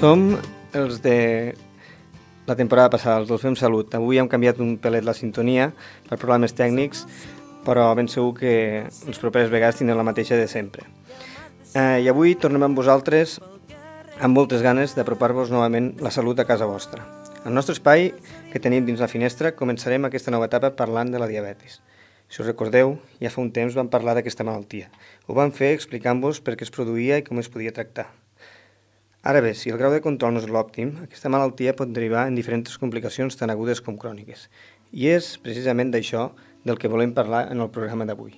Som els de la temporada passada, els del Fem Salut. Avui hem canviat un pelet la sintonia per problemes tècnics, però ben segur que les properes vegades tindrem la mateixa de sempre. I avui tornem amb vosaltres amb moltes ganes d'apropar-vos novament la salut a casa vostra. Al nostre espai que tenim dins la finestra començarem aquesta nova etapa parlant de la diabetis. Si us recordeu, ja fa un temps vam parlar d'aquesta malaltia. Ho vam fer explicant-vos per què es produïa i com es podia tractar. Ara bé, si el grau de control no és l'òptim, aquesta malaltia pot derivar en diferents complicacions tan agudes com cròniques. I és precisament d'això del que volem parlar en el programa d'avui.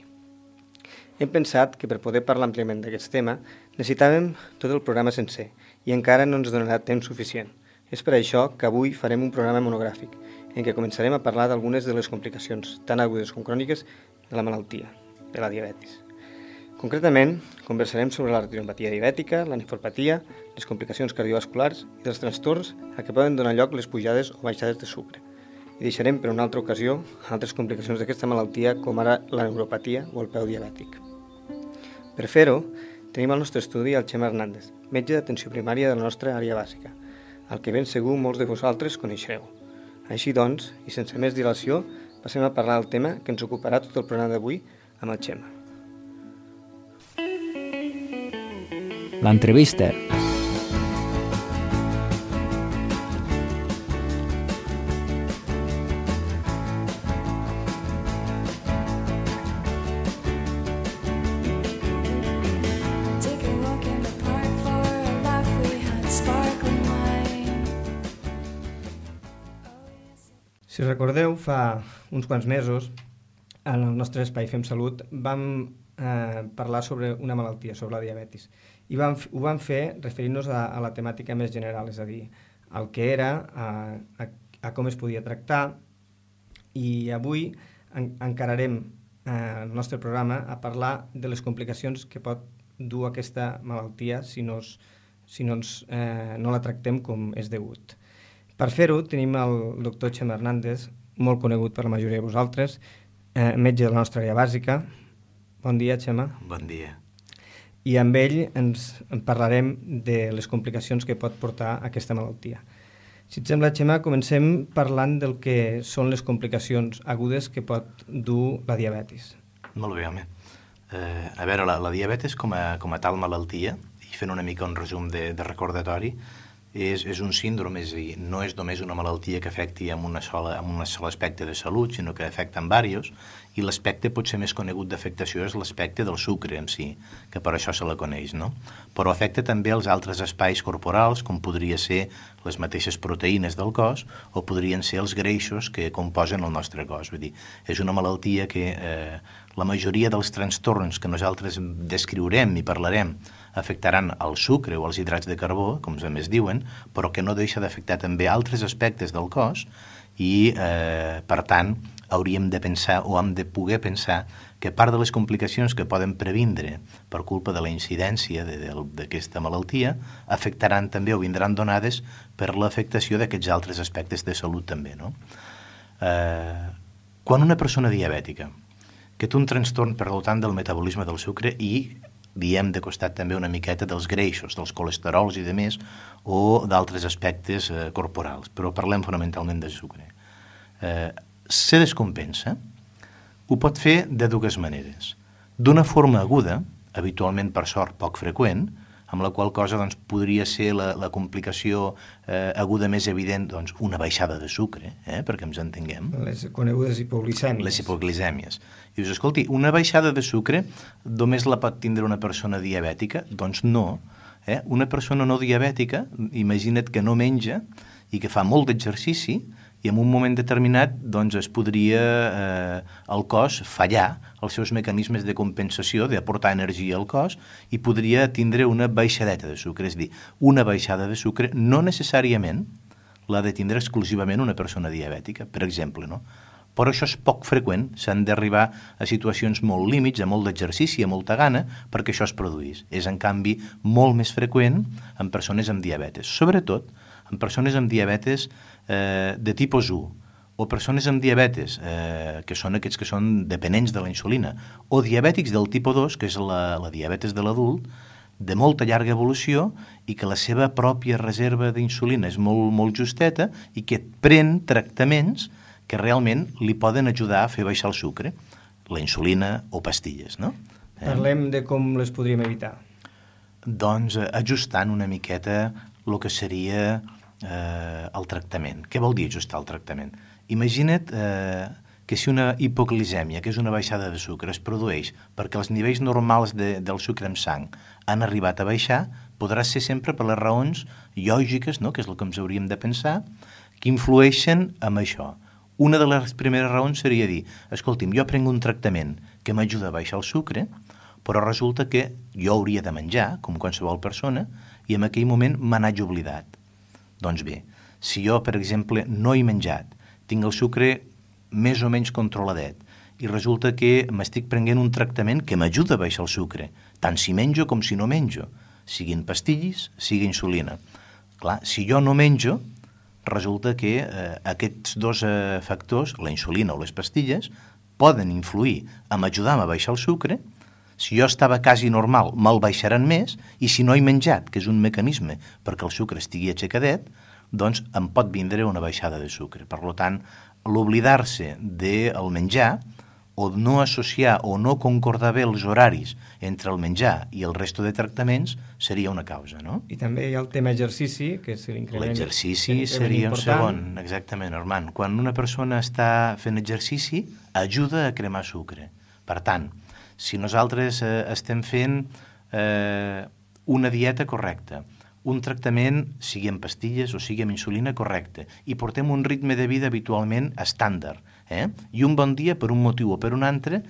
Hem pensat que per poder parlar àmpliament d'aquest tema necessitàvem tot el programa sencer i encara no ens donarà temps suficient. És per això que avui farem un programa monogràfic en què començarem a parlar d'algunes de les complicacions tan agudes com cròniques de la malaltia, de la diabetis. Concretament, conversarem sobre la retinopatia diabètica, la nefropatia, les complicacions cardiovasculars i dels trastorns a què poden donar lloc les pujades o baixades de sucre. I deixarem per una altra ocasió altres complicacions d'aquesta malaltia com ara la neuropatia o el peu diabètic. Per fer-ho, tenim al nostre estudi el Xema Hernández, metge d'atenció primària de la nostra àrea bàsica, el que ben segur molts de vosaltres coneixereu. Així doncs, i sense més dilació, passem a parlar del tema que ens ocuparà tot el programa d'avui amb el Xema. L'entrevista. Si recordeu, fa uns quants mesos, en el nostre espai Fem Salut, vam parlar sobre una malaltia, sobre la diabetis. I ho vam fer referint-nos a la temàtica més general, és a dir, el que era, a com es podia tractar, i avui encararem el nostre programa a parlar de les complicacions que pot dur aquesta malaltia si no la tractem com és degut. Per fer-ho tenim el doctor Xema Hernández, molt conegut per la majoria de vosaltres, metge de la nostra àrea bàsica. Bon dia, Xema. Bon dia. I amb ell ens parlarem de les complicacions que pot portar aquesta malaltia. Si et sembla, Xema, comencem parlant del que són les complicacions agudes que pot dur la diabetis. Molt bé, home. A veure, la diabetis com a tal malaltia, i fent una mica un resum de recordatori, és un síndrome, és a dir, no és només una malaltia que afecti amb un sol aspecte de salut, sinó que afecta en diversos, i l'aspecte potser més conegut d'afectació és l'aspecte del sucre en si, que per això se la coneix, no? Però afecta també els altres espais corporals, com podria ser les mateixes proteïnes del cos, o podrien ser els greixos que composen el nostre cos. Vull dir, és una malaltia que la majoria dels trastorns que nosaltres descriurem i parlarem afectaran el sucre o els hidrats de carbó, com més diuen, però que no deixa d'afectar també altres aspectes del cos i, per tant, hauríem de pensar o hem de poder pensar que part de les complicacions que poden previndre per culpa de la incidència d'aquesta malaltia afectaran també o vindran donades per l'afectació d'aquests altres aspectes de salut també, no? Quan una persona diabètica que té un trastorn per tant del metabolisme del sucre i diem de costat també una miqueta dels greixos, dels colesterols i de més, o d'altres aspectes corporals, però parlem fonamentalment de sucre. Se descompensa, ho pot fer de dues maneres. D'una forma aguda, habitualment per sort poc freqüent, amb la qual cosa doncs, podria ser la complicació aguda més evident, doncs, una baixada de sucre, perquè ens entenguem. Les conegudes hipoglicèmies. Les hipoglicèmies. I dius, escolti, una baixada de sucre només la pot tindre una persona diabètica? Doncs no. Una persona no diabètica, imagina't que no menja i que fa molt d'exercici, i en un moment determinat doncs, es podria el cos fallar els seus mecanismes de compensació, d'aportar energia al cos, i podria tindre una baixadeta de sucre. És a dir, una baixada de sucre no necessàriament l'ha de tindre exclusivament una persona diabètica, per exemple, no? Però això és poc freqüent, s'han d'arribar a situacions molt límits, a molt d'exercici, a molta gana, perquè això es produís. És, en canvi, molt més freqüent en persones amb diabetes, sobretot en persones amb diabetes de tipus 1, o persones amb diabetes, que són aquests que són dependents de la insulina, o diabètics del tipus 2, que és la diabetes de l'adult, de molta llarga evolució i que la seva pròpia reserva d'insulina és molt, molt justeta i que pren tractaments que realment li poden ajudar a fer baixar el sucre, la insulina o pastilles, no? Parlem de com les podríem evitar. Doncs ajustant una miqueta el que seria el tractament. Què vol dir ajustar el tractament? Imagina't que si una hipoglicèmia, que és una baixada de sucre, es produeix perquè els nivells normals del sucre en sang han arribat a baixar, podrà ser sempre per les raons lògiques, no? Que és el que ens hauríem de pensar, que influeixen en això. Una de les primeres raons seria dir, escolti'm, jo prenc un tractament que m'ajuda a baixar el sucre, però resulta que jo hauria de menjar, com qualsevol persona, i en aquell moment me n'haig oblidat. Doncs bé, si jo, per exemple, no he menjat, tinc el sucre més o menys controladet, i resulta que m'estic prenent un tractament que m'ajuda a baixar el sucre, tant si menjo com si no menjo, siguin pastilles, sigui insulina. Clar, si jo no menjo, resulta que aquests dos factors, la insulina o les pastilles, poden influir en ajudar-me a baixar el sucre. Si jo estava quasi normal, me'l baixaran més, i si no he menjat, que és un mecanisme perquè el sucre estigui aixecadet, doncs em pot vindre una baixada de sucre. Per tant, l'oblidar-se del menjar, o no associar o no concordar bé els horaris entre el menjar i el resto de tractaments seria una causa, no? I també hi ha el tema exercici, que és l'increment. L'exercici seria un segon, exactament, Armand. Quan una persona està fent exercici, ajuda a cremar sucre. Per tant, si nosaltres estem fent una dieta correcta, un tractament, sigui amb pastilles o sigui amb insulina, correcte, i portem un ritme de vida habitualment estàndard, i un bon dia, per un motiu o per un altre,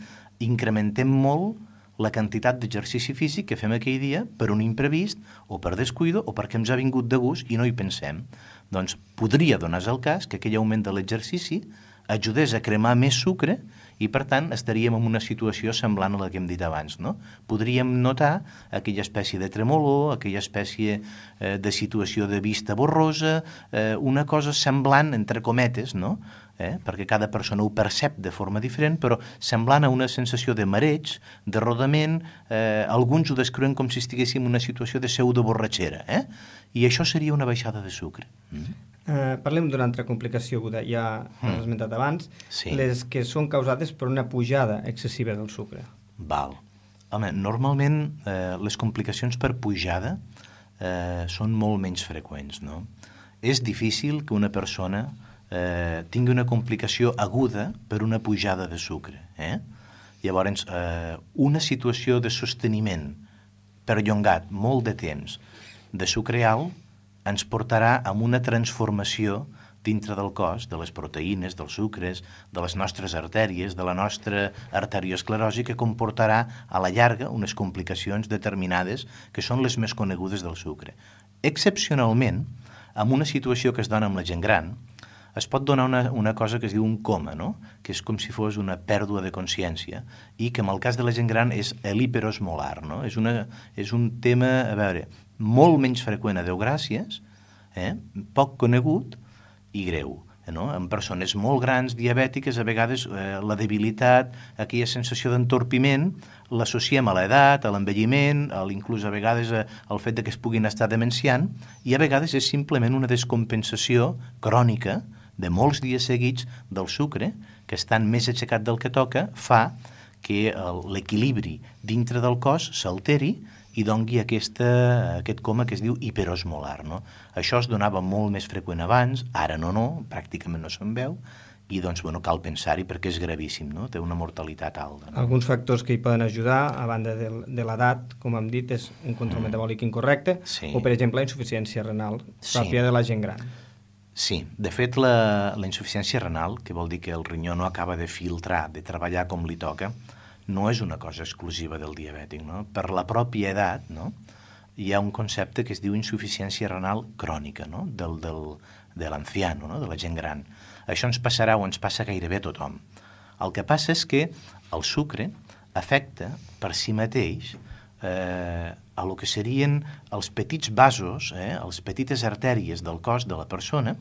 incrementem molt la quantitat d'exercici físic que fem aquell dia per un imprevist o per descuido o perquè ens ha vingut de gust i no hi pensem. Doncs podria donar-se el cas que aquell augment de l'exercici ajudés a cremar més sucre i, per tant, estaríem en una situació semblant a la que hem dit abans, no? Podríem notar aquella espècie de tremolor, aquella espècie de situació de vista borrosa, una cosa semblant, entre cometes, no? Perquè cada persona ho percep de forma diferent, però semblant a una sensació de mareig, de rodament, alguns ho descriuen com si estiguéssim en una situació de pseudoborratxera, i això seria una baixada de sucre. Parlem d'una altra complicació aguda, ja l'has esmentat abans, sí. Les que són causades per una pujada excessiva del sucre. Val. Home, normalment les complicacions per pujada són molt menys freqüents, no? És difícil que una persona tingui una complicació aguda per una pujada de sucre. Llavors, una situació de sosteniment perllongat molt de temps de sucre alt ens portarà a una transformació dintre del cos, de les proteïnes, dels sucres, de les nostres artèries, de la nostra arteriosclerosi, que comportarà a la llarga unes complicacions determinades que són les més conegudes del sucre. Excepcionalment, en una situació que es dona amb la gent gran, es pot donar una cosa que es diu un coma, no? Que és com si fos una pèrdua de consciència i que en el cas de la gent gran és l'hiperosmolar, no? És un tema, a veure, molt menys freqüent, a Déu gràcies, poc conegut i greu. No? En persones molt grans, diabètiques, a vegades la debilitat, aquella sensació d'entorpiment, l'associem a l'edat, a l'envelliment, inclús a vegades al fet que es puguin estar demenciant, i a vegades és simplement una descompensació crònica de molts dies seguits del sucre, que estant més aixecat del que toca, fa que l'equilibri dintre del cos s'alteri i doni aquest coma que es diu hiperosmolar, no? Això es donava molt més freqüent abans, ara no, pràcticament no se'n veu, i doncs, cal pensar-hi perquè és gravíssim, no? Té una mortalitat alta. No? Alguns factors que hi poden ajudar, a banda de l'edat, com hem dit, és un control metabòlic incorrecte, sí. O, per exemple, la insuficiència renal pròpia de la gent gran. Sí, de fet, la insuficiència renal, que vol dir que el rinyó no acaba de filtrar, de treballar com li toca, no és una cosa exclusiva del diabètic, no? Per la pròpia edat, no? Hi ha un concepte que es diu insuficiència renal crònica, no? De l'anciano, no? De la gent gran. Això ens passarà o ens passa gairebé a tothom. El que passa és que el sucre afecta per si mateix a lo que serien els petits vasos, les petites artèries del cos de la persona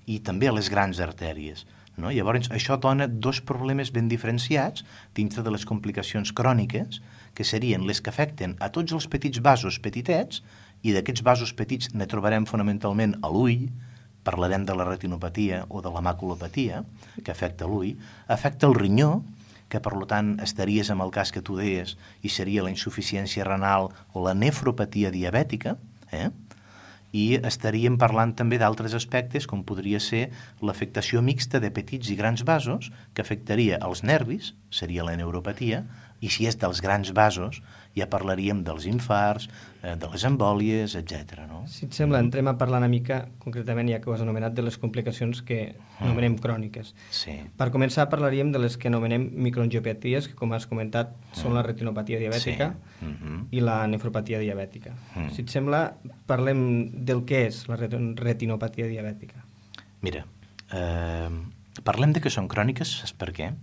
i també a les grans artèries. no? Llavors, això dona dos problemes ben diferenciats dintre de les complicacions cròniques, que serien les que afecten a tots els petits vasos petitets, i d'aquests vasos petits ne trobarem fonamentalment a l'ull, parlarem de la retinopatia o de la maculopatia, que afecta l'ull, afecta el rinyó, que per tant estaries amb el cas que tu deies, i seria la insuficiència renal o la nefropatia diabètica, i estaríem parlant també d'altres aspectes, com podria ser l'afectació mixta de petits i grans vasos, que afectaria els nervis, seria la neuropatia, i si és dels grans vasos, ja parlaríem dels infarts, de les embòlies, etc. No? Si et sembla, entrem a parlar una mica, concretament, ja que ho has anomenat, de les complicacions que anomenem cròniques. Sí. Per començar, parlaríem de les que anomenem microangiopaties, que, com has comentat, són la retinopatia diabètica i la nefropatia diabètica. Si et sembla, parlem del que és la retinopatia diabètica. Mira, parlem de que són cròniques, saps per què?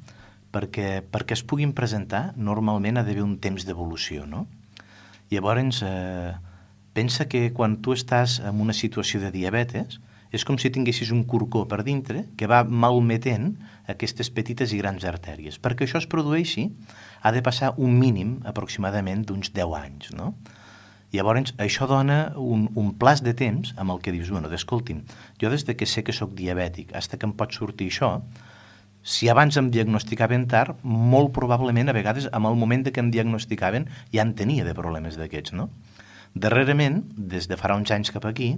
Perquè es puguin presentar, normalment ha d'haver un temps d'evolució, no? Llavors, pensa que quan tu estàs en una situació de diabetes, és com si tinguessis un corcó per dintre que va malmetent aquestes petites i grans artèries. Perquè això es produeixi, ha de passar un mínim aproximadament d'uns 10 anys, no? Llavors, això dona un plaç de temps amb el que dius, bueno, escolti'm, jo des que sé que sóc diabètic, fins que em pot sortir això, si abans em diagnosticaven tard, molt probablement, a vegades, en el moment que em diagnosticaven, ja en tenia de problemes d'aquests, no? Darrerament, des de farà uns anys cap aquí,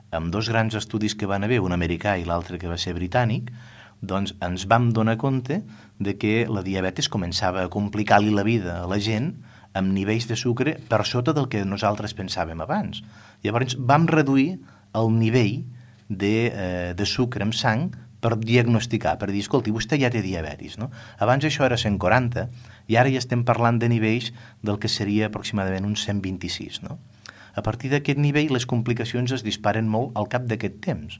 amb dos grans estudis que van haver, un americà i l'altre que va ser britànic, doncs ens vam donar compte de que la diabetis començava a complicar-li la vida a la gent amb nivells de sucre per sota del que nosaltres pensàvem abans. Llavors vam reduir el nivell de sucre en sang per diagnosticar, per dir, escolti, vostè ja té diabetis, no? Abans això era 140 i ara ja estem parlant de nivells del que seria aproximadament uns 126, no? A partir d'aquest nivell les complicacions es disparen molt al cap d'aquest temps.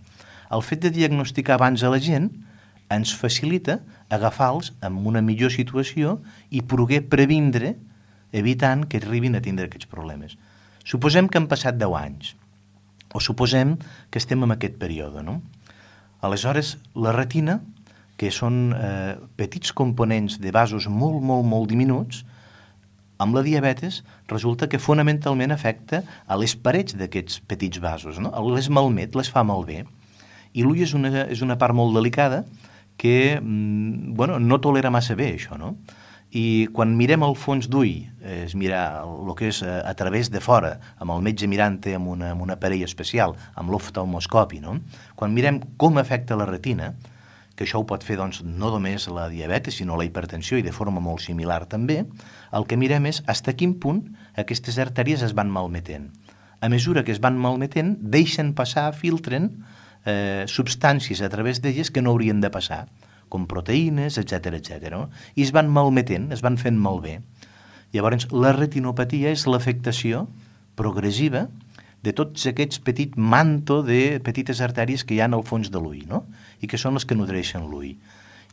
El fet de diagnosticar abans a la gent ens facilita agafar-los en una millor situació i poder previndre, evitant que arribin a tindre aquests problemes. Suposem que han passat 10 anys, o suposem que estem en aquest període, no? Aleshores, la retina, que són petits components de vasos molt, molt, molt diminuts, amb la diabetes resulta que fonamentalment afecta a les parets d'aquests petits vasos, no? Les malmet, les fa malbé. I l'ull és una part molt delicada que no tolera massa bé això, no? I quan mirem el fons d'ull, és mirar el que és a través de fora, amb el metge mirant-te amb un aparell especial, amb l'oftalmoscopi, no? Quan mirem com afecta la retina, que això ho pot fer doncs, no només la diabetes, sinó la hipertensió i de forma molt similar també, el que mirem és fins a quin punt aquestes artèries es van malmetent. A mesura que es van malmetent, deixen passar, filtren substàncies a través d'elles que no haurien de passar, com proteïnes, etc. No? I es van malmetent, es van fent malbé. Llavors, la retinopatia és l'afectació progressiva de tots aquests petit manto de petites artèries que hi ha al fons de l'ull, no? I que són les que nodreixen l'ull.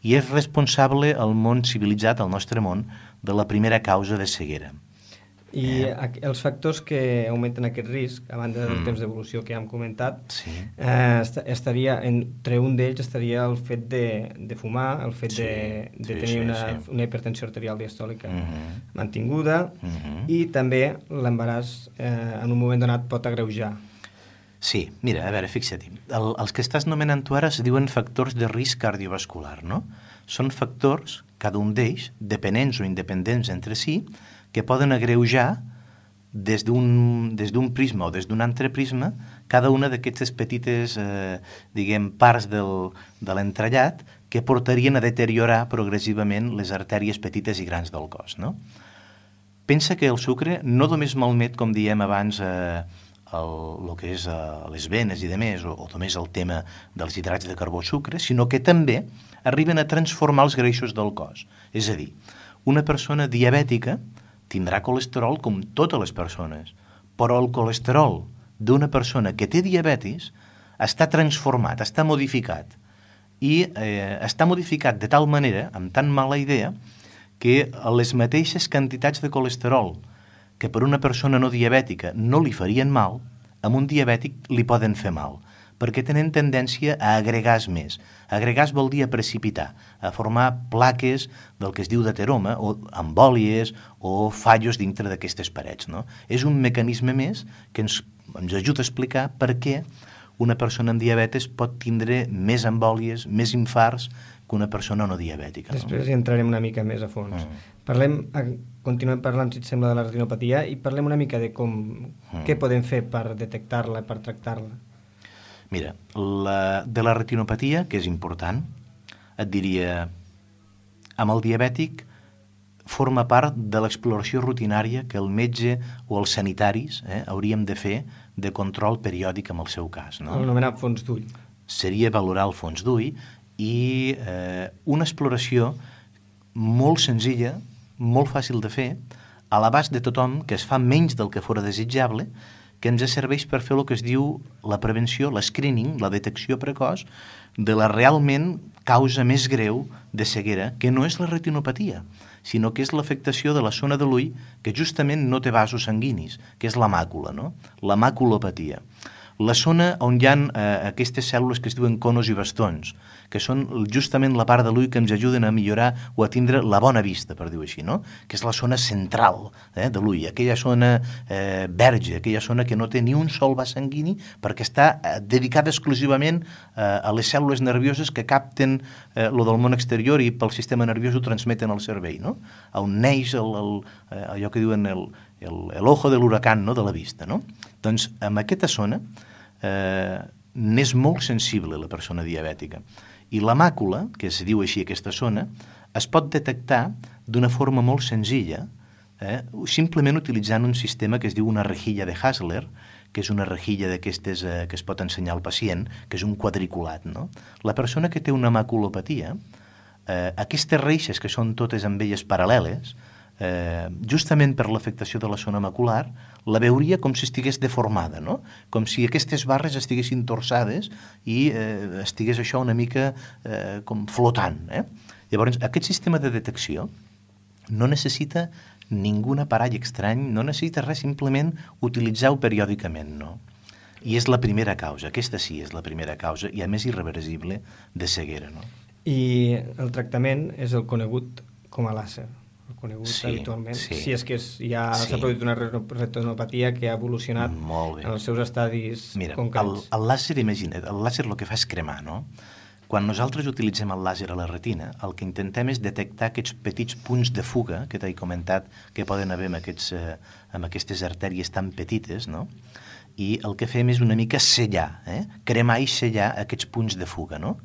I és responsable el món civilitzat, el nostre món, de la primera causa de ceguera. I els factors que augmenten aquest risc, a banda del temps d'evolució que ja hem comentat, sí. Estaria, entre un d'ells estaria el fet de fumar, el fet de tenir una hipertensió arterial diastòlica mantinguda, i també l'embaràs en un moment donat pot agreujar. Sí, mira, a veure, fixa't, els que estàs nomenant tu ara es diuen factors de risc cardiovascular, no? Són factors, cada un d'ells, dependents o independents entre si, que poden agreujar des d'un prisma o des d'un altre prisma cada una d'aquestes petites parts de l'entrellat que portarien a deteriorar progressivament les artèries petites i grans del cos, no? Pensa que el sucre no només malmet, com diem abans, el que és les venes i demés, o només el tema dels hidrats de carbó sucre, sinó que també arriben a transformar els greixos del cos. És a dir, una persona diabètica tindrà colesterol com totes les persones, però el colesterol d'una persona que té diabetis està transformat, està modificat, i està modificat de tal manera, amb tan mala idea, que les mateixes quantitats de colesterol que per una persona no diabètica no li farien mal, a un diabètic li poden fer mal, perquè tenen tendència a agregar més. Agregar vol dir a precipitar, a formar plaques del que es diu d'ateroma, o embòlies o fallos dintre d'aquestes parets. No? És un mecanisme més que ens ajuda a explicar per què una persona amb diabetes pot tindre més embòlies, més infarts que una persona no diabètica. No? Després hi entrarem una mica més a fons. Continuem parlant, si et sembla, de la retinopatia i parlem una mica de què podem fer per detectar-la, per tractar-la. Mira, de la retinopatia, que és important, et diria, amb el diabètic forma part de l'exploració rutinària que el metge o els sanitaris hauríem de fer de control periòdic en el seu cas. No? L'anomenat fons d'ull. Seria valorar el fons d'ull i una exploració molt senzilla, molt fàcil de fer, a l'abast de tothom, que es fa menys del que fora desitjable, que ens serveix per fer el que es diu la prevenció, l'escreening, la detecció precoç de la realment causa més greu de ceguera, que no és la retinopatia, sinó que és l'afectació de la zona de l'ull que justament no té vasos sanguinis, que és la màcula, no? La maculopatia. La zona on hi ha aquestes cèl·lules que es diuen conos i bastons, que són justament la part de l'ull que ens ajuden a millorar o a tindre la bona vista, per dir-ho així, no? Que és la zona central de l'ull, aquella zona verge, aquella zona que no té ni un sol vas sanguini perquè està dedicada exclusivament a les cèl·lules nervioses que capten lo del món exterior i pel sistema nerviós ho transmeten al cervell, no? On neix allò que diuen l'ojo de l'huracán, no? De la vista, no? Doncs en aquesta zona n'és molt sensible la persona diabètica. I la màcula, que es diu així aquesta zona, es pot detectar d'una forma molt senzilla, simplement utilitzant un sistema que es diu una rejilla de Hassler, que és una rejilla d'aquestes que es pot ensenyar al pacient, que és un quadriculat. No? La persona que té una maculopatia, aquestes reixes, que són totes amb elles paral·leles, justament per l'afectació de la zona macular, la veuria com si estigués deformada, no? Com si aquestes barres estiguessin torçades i estigués això una mica com flotant. Llavors, aquest sistema de detecció no necessita ningun aparell estrany, no necessita res, simplement utilitzar-ho periòdicament, no? I és la primera causa, aquesta sí és la primera causa, i a més irreversible, de ceguera, no? I el tractament és el conegut com a làser, el conegut habitualment, si és que ja s'ha produït una retinopatia que ha evolucionat en els seus estadis concrets. Mira, el làser, imagina't, el làser el que fa és cremar, no? Quan nosaltres utilitzem el làser a la retina, el que intentem és detectar aquests petits punts de fuga que t'he comentat que poden haver amb aquestes artèries tan petites, no? I el que fem és una mica sellar, cremar i sellar aquests punts de fuga, no?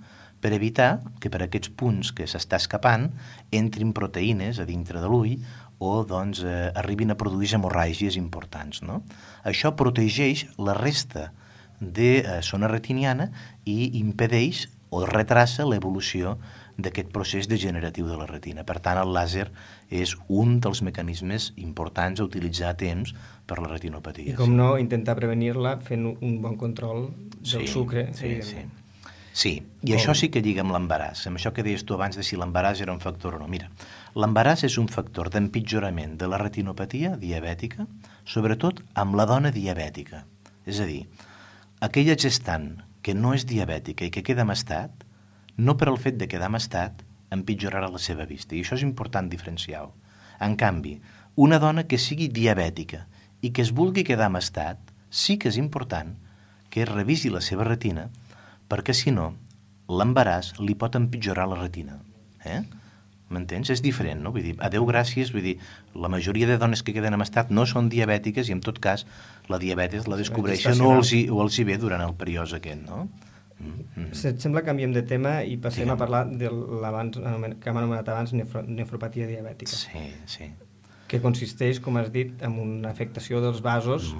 Per evitar que per aquests punts que s'està escapant entrin proteïnes a dintre de l'ull o doncs arribin a produir hemorràgies importants, no? Això protegeix la resta de zona retiniana i impedeix o retrassa l'evolució d'aquest procés degeneratiu de la retina. Per tant, el làser és un dels mecanismes importants a utilitzar a temps per la retinopatia. I com no, intentar prevenir-la fent un bon control del sucre. Sí, i això sí que lliga amb l'embaràs, amb això que deies tu abans de si l'embaràs era un factor o no. Mira, l'embaràs és un factor d'empitjorament de la retinopatia diabètica, sobretot amb la dona diabètica. És a dir, aquella gestant que no és diabètica i que queda amb estat, no per al fet de quedar amb estat, empitjorarà la seva vista. I això és important diferenciar-ho. En canvi, una dona que sigui diabètica i que es vulgui quedar amb estat, sí que és important que es revisi la seva retina, perquè si no, l'embaràs li pot empitjorar la retina. M'entens? És diferent, no? Vull dir, adeu, gràcies, vull dir, la majoria de dones que queden en estat no són diabètiques i en tot cas la diabetes la descobreixen o els hi ve durant el període aquest, no? Si et sembla, canviem de tema i passem a parlar que hem anomenat abans nefropatia diabètica. Sí. Que consisteix, com has dit, en una afectació dels vasos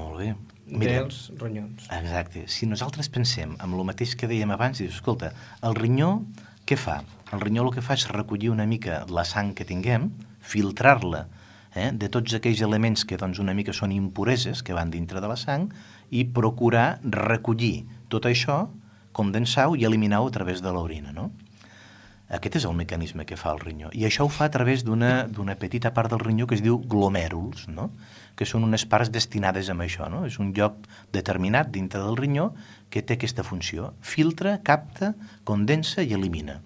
dels ronyons. Exacte. Si nosaltres pensem en el mateix que dèiem abans, dius, escolta, el rinyó què fa? El rinyó el que fa és recollir una mica la sang que tinguem, filtrar-la de tots aquells elements que doncs, una mica són impureses que van dintre de la sang i procurar recollir tot això, condensar-ho i eliminar-ho a través de l'orina, no? Aquest és el mecanisme que fa el rinyó. I això ho fa a través d'una petita part del rinyó que es diu glomèruls, no? Que són unes parts destinades a això. No? És un lloc determinat dintre del rinyó que té aquesta funció. Filtra, capta, condensa i elimina.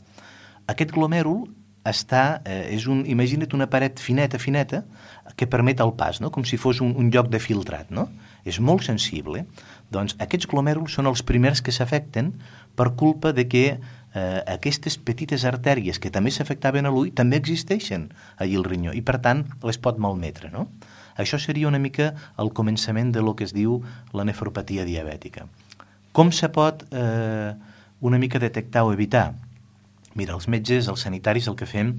Aquest glomèrul imagina't una paret fineta que permet el pas, no? Com si fos un lloc de filtrat, no? És molt sensible. Doncs aquests glomèruls són els primers que s'afecten per culpa de que aquestes petites artèries que també s'afectaven a l'ull també existeixen allà al rinyó i per tant les pot malmetre, no? Això seria una mica el començament de lo que es diu la nefropatia diabètica. Com se pot una mica detectar o evitar? Mira, els metges, els sanitaris, el que fem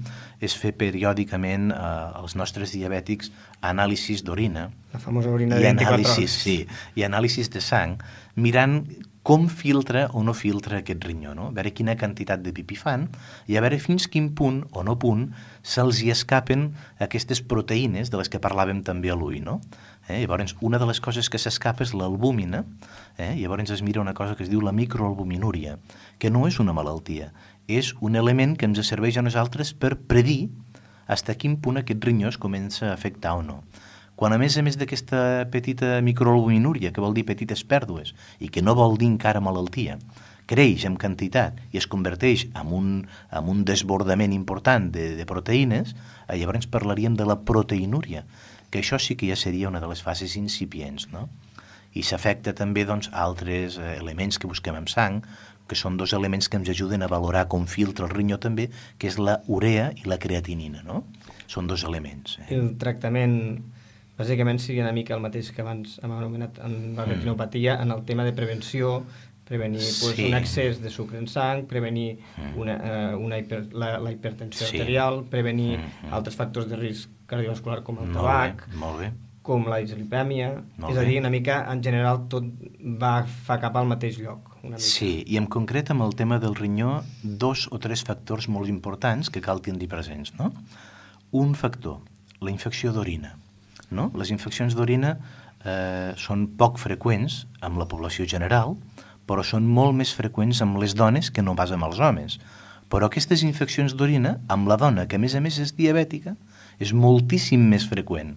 és fer periòdicament als nostres diabètics anàlisis d'orina. La famosa orina de 24 hores. Sí, i anàlisis de sang, mirant com filtra o no filtra aquest rinyó, no? A veure quina quantitat de pipí fan i a veure fins quin punt o no punt se'ls hi escapen aquestes proteïnes de les que parlàvem també a l'ull, no? Llavors, una de les coses que s'escapa és l'albúmina, llavors es mira una cosa que es diu la microalbuminúria, que no és una malaltia, és un element que ens serveix a nosaltres per predir fins a quin punt aquest rinyó es comença a afectar o no. Quan a més d'aquesta petita microalbuminúria, que vol dir petites pèrdues, i que no vol dir encara malaltia, creix en quantitat i es converteix en un desbordament important de proteïnes, llavors parlaríem de la proteinúria, que això sí que ja seria una de les fases incipients, no? I s'afecta també doncs, altres elements que busquem en sang, que són dos elements que ens ajuden a valorar com filtra el rinyó també, que és la urea i la creatinina, no? Són dos elements. El tractament, bàsicament, sigui una mica el mateix que abans hem anomenat en la retinopatia, en el tema de prevenció, prevenir un excés de sucre en sang, prevenir la hipertensió arterial, prevenir altres factors de risc cardiovascular com el tabac, com la dislipèmia, és a dir, una mica, en general, tot fa cap al mateix lloc. Sí, i en concret amb el tema del rinyó, 2 o 3 factors molt importants que cal tenir presents, no? Un factor, la infecció d'orina, no? Les infeccions d'orina són poc freqüents amb la població general, però són molt més freqüents amb les dones que no pas amb els homes. Però aquestes infeccions d'orina, amb la dona, que a més és diabètica, és moltíssim més freqüent.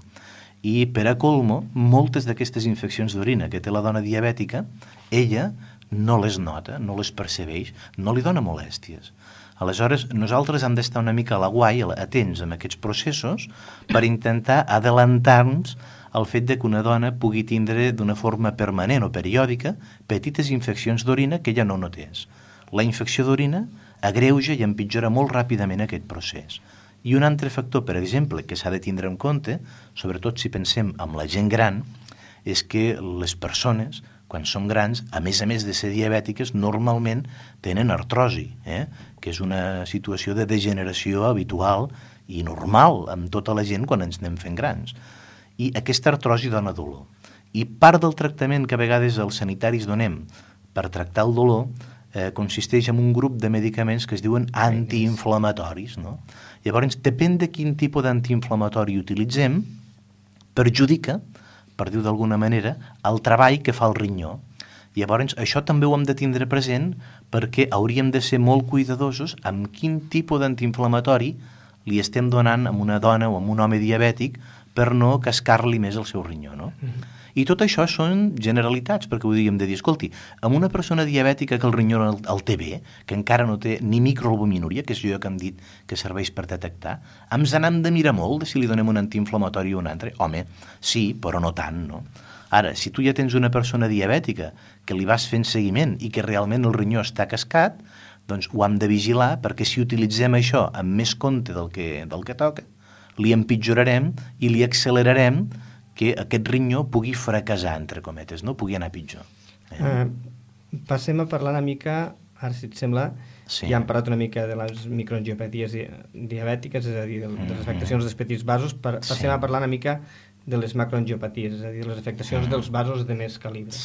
I per a colmo, moltes d'aquestes infeccions d'orina que té la dona diabètica, ella no les nota, no les percebeix, no li dona molèsties. Aleshores, nosaltres hem d'estar una mica a l'aguai, atents amb aquests processos, per intentar adelantar-nos al fet de que una dona pugui tindre d'una forma permanent o periòdica petites infeccions d'orina que ja no notés. La infecció d'orina agreuja i empitjora molt ràpidament aquest procés. I un altre factor, per exemple, que s'ha de tindre en compte, sobretot si pensem en la gent gran, és que les persones, quan són grans, a més de ser diabètiques, normalment tenen artrosi, que és una situació de degeneració habitual i normal amb tota la gent quan ens anem fent grans. I aquesta artrosi dona dolor. I part del tractament que a vegades els sanitaris donem per tractar el dolor consisteix en un grup de medicaments que es diuen antiinflamatoris, no? Llavors, depèn de quin tipus d'antiinflamatori utilitzem, perjudica, per dir-ho d'alguna manera, el treball que fa el rinyó. Llavors, això també ho hem de tindre present perquè hauríem de ser molt cuidadosos amb quin tipus d'antiinflamatori li estem donant a una dona o a un home diabètic per no cascar-li més el seu rinyó, no? I tot això són generalitats, perquè ho diríem de dir, escolti, amb una persona diabètica que el rinyó el té bé, que encara no té ni microalbuminúria, que és allò que hem dit que serveix per detectar, ens n'hem de mirar molt de si li donem un antiinflamatori o un altre. Home, sí, però no tant, no? Ara, si tu ja tens una persona diabètica que li vas fent seguiment i que realment el rinyó està cascat, doncs ho hem de vigilar, perquè si utilitzem això amb més compte del que toca, li empitjorarem i li accelerarem que aquest rinyó pugui fracassar, entre cometes, no? Pugui anar pitjor. Passem a parlar una mica, ara si et sembla, ja hem parlat una mica de les microangiopaties diabètiques, és a dir, de les afectacions dels petits vasos, passem a parlar una mica de les macroangiopaties, és a dir, les afectacions dels vasos de més calibre.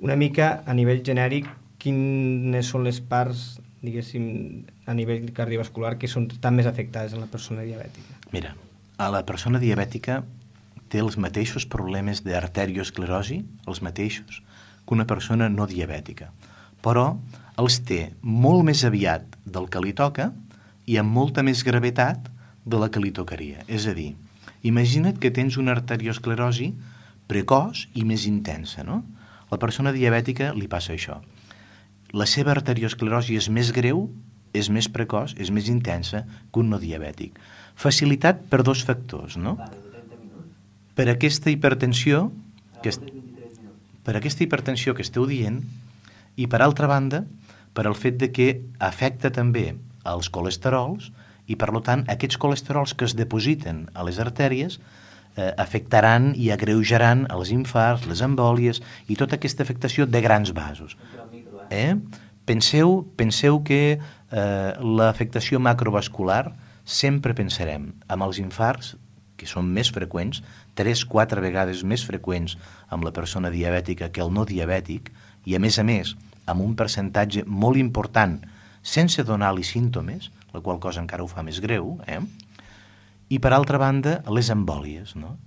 Una mica, a nivell genèric, quines són les parts, diguéssim, a nivell cardiovascular que són tan més afectades en la persona diabètica? Mira, a la persona diabètica té els mateixos problemes d'arteriosclerosi, els mateixos, que una persona no diabètica. Però els té molt més aviat del que li toca i amb molta més gravetat de la que li tocaria. És a dir, imagina't que tens una arteriosclerosi precoç i més intensa, no? A la persona diabètica li passa això. La seva arteriosclerosi és més greu, és més precoç, és més intensa que un no diabètic. Facilitat per dos factors, no? Per aquesta hipertensió que esteu dient, i per altra banda, per al fet de que afecta també els colesterols, i per tant aquests colesterols que es depositen a les artèries afectaran i agreujaran els infarts, les embòlies i tota aquesta afectació de grans vasos. Penseu que l'afectació macrovascular sempre pensarem amb els infarts, que són més freqüents, 3-4 vegades més freqüents amb la persona diabètica que el no diabètic, i a més, amb un percentatge molt important sense donar-li símptomes, la qual cosa encara ho fa més greu, I per altra banda, les embòlies, no?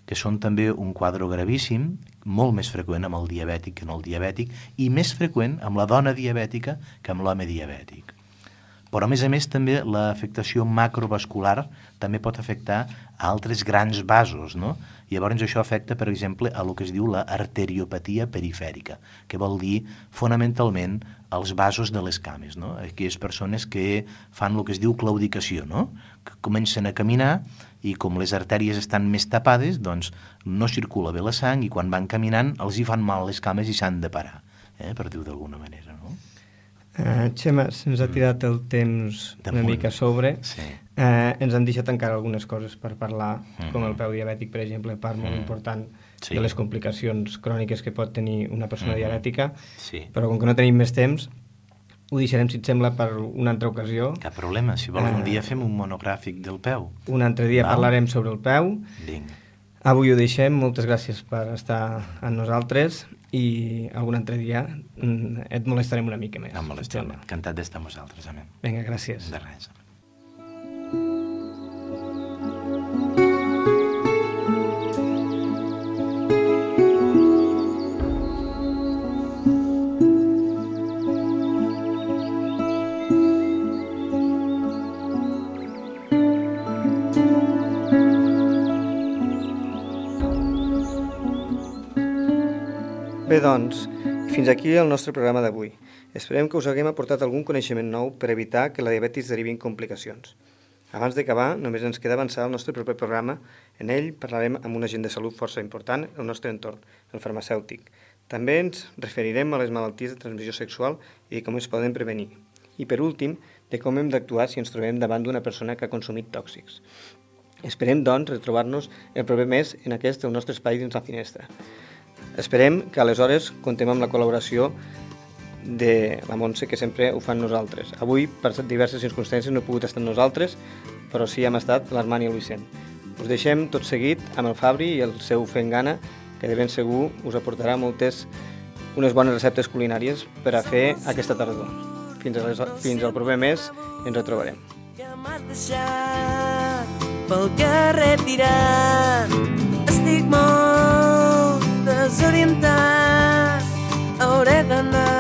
Que són també un quadre gravíssim, molt més freqüent amb el diabètic que no el diabètic, i més freqüent amb la dona diabètica que amb l'home diabètic. Però, a més, també l'afectació macrovascular també pot afectar a altres grans vasos, no? I llavors això afecta, per exemple, a el que es diu l'arteriopatia perifèrica, que vol dir, fonamentalment, els vasos de les cames, no? Aquelles persones que fan el que es diu claudicació, no? Que comencen a caminar i com les artèries estan més tapades, doncs no circula bé la sang i quan van caminant els hi fan mal les cames i s'han de parar, per dir-ho d'alguna manera, no? Xema, se'ns ha tirat el temps una mica a sobre. Sí. Ens han deixat encara algunes coses per parlar, com el peu diabètic, per exemple, part molt important de les complicacions cròniques que pot tenir una persona diabètica, però com que no tenim més temps, ho deixarem, si et sembla, per una altra ocasió. Cap problema, si vols un dia fem un monogràfic del peu. Un altre dia parlarem sobre el peu. Vinga. Avui ho deixem, moltes gràcies per estar amb nosaltres i algun altre dia et molestarem una mica més. No em molestem, encantat d'estar amb vosaltres. Amén. Vinga, gràcies. De res. Bé, doncs, fins aquí el nostre programa d'avui. Esperem que us haguem aportat algun coneixement nou per evitar que la diabetis derivi en complicacions. Abans d'acabar, només ens queda avançar el nostre proper programa. En ell parlarem amb un agent de salut força important al nostre entorn, el farmacèutic. També ens referirem a les malalties de transmissió sexual i com es poden prevenir. I per últim, de com hem d'actuar si ens trobem davant d'una persona que ha consumit tòxics. Esperem, doncs, retrobar-nos el proper mes en aquest el nostre espai dins la finestra. Esperem que aleshores contem amb la col·laboració de la Montse, que sempre ho fan nosaltres. Avui, per diverses circumstàncies, no he pogut estar amb nosaltres, però sí hem estat l'Armand i el Vicent. Us deixem tot seguit amb el Fabri i el seu Fent Gana, que de ben segur us aportarà unes bones receptes culinàries per a fer aquesta tardor. Fins al proper mes ens retrobarem. Ja m'has deixat pel carrer tirat, estic molt desorientat, hauré d'anar